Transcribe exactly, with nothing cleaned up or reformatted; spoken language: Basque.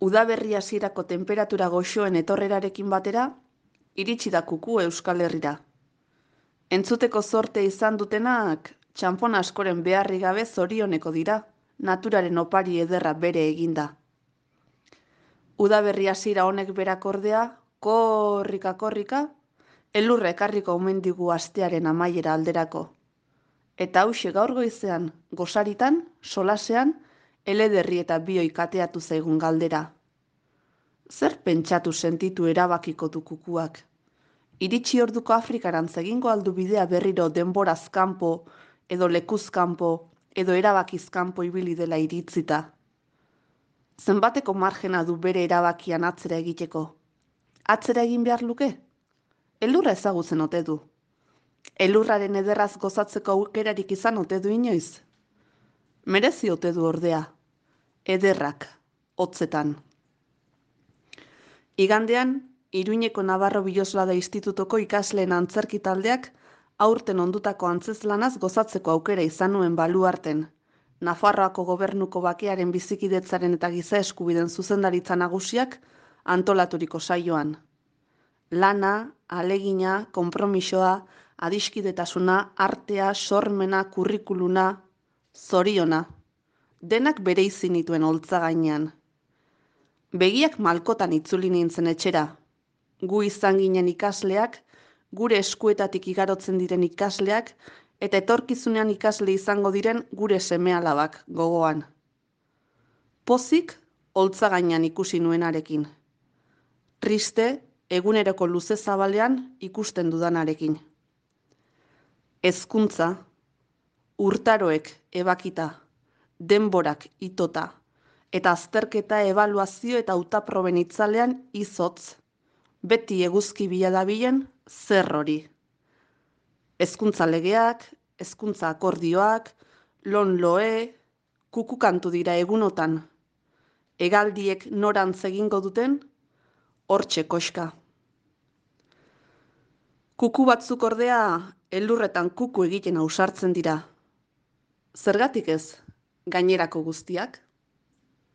Udaberri hasierako temperatura goxoen etorrerarekin batera, iritsi da kuku Euskal Herrira. Entzuteko zorte izan dutenak, txanpon askoren beharri gabe zorioneko dira, naturaren opari ederra bere eginda. Udaberri hasiera honek berak ordea, korrika-korrika, elurra ekarriko omen digu astearen amaiera alderako. Eta hauxe gaur goizean, gosaritan, solasean, elederri eta bioi kateatu zaigun galdera. Zer pentsatu sentitu erabakiko du kukuak? Iritsi orduko Afrikarantz egingo aldu bidea berriro denboraz kanpo, edo lekuz kanpo, edo erabakiz kanpo ibili dela iritzita. Zenbateko margena du bere erabakian atzera egiteko? Atzera egin behar luke? Elurra ezagutzen ote du. Elurraren ederraz gozatzeko aukerarik izan ote du inoiz. Merezi ote du ordea. Ederrak, hotzetan. Igandean, Iruñeko Navarro Biloslada Institutoko ikasleen antzerki taldeak aurten ondutako antzezlanaz gozatzeko aukera izan nuen baluarten. Nafarroako gobernuko bakearen bizikidetzaren eta giza eskubiden zuzendaritza nagusiak antolaturiko saioan. Lana, alegina, konpromisoa, adiskidetasuna, artea, sormena, kurrikuluna, zoriona. Denak bereizi nituen holtza gainean. Begiak malkotan itzuli nintzen etxera. Gu izan ginen ikasleak, gure eskuetatik igarotzen diren ikasleak, eta etorkizunean ikasle izango diren gure seme-alabak gogoan. Pozik, holtza gainean ikusi nuenarekin. Triste, eguneroko luze zabalean ikusten dudanarekin. Hezkuntza, urtaroek ebakita, denborak itota, eta azterketa, ebaluazio eta hautaproben itzalean izotz, beti eguzki bila dabilen zer hori. Hezkuntza legeak, hezkuntza akordioak, lon-loe, kukukantu dira egunotan. Hegaldiek norantz egingo duten, hortxe koxka. Kuku batzuk ordea, elurretan kuku egiten ausartzen dira. Zergatik ez, gainerako guztiak?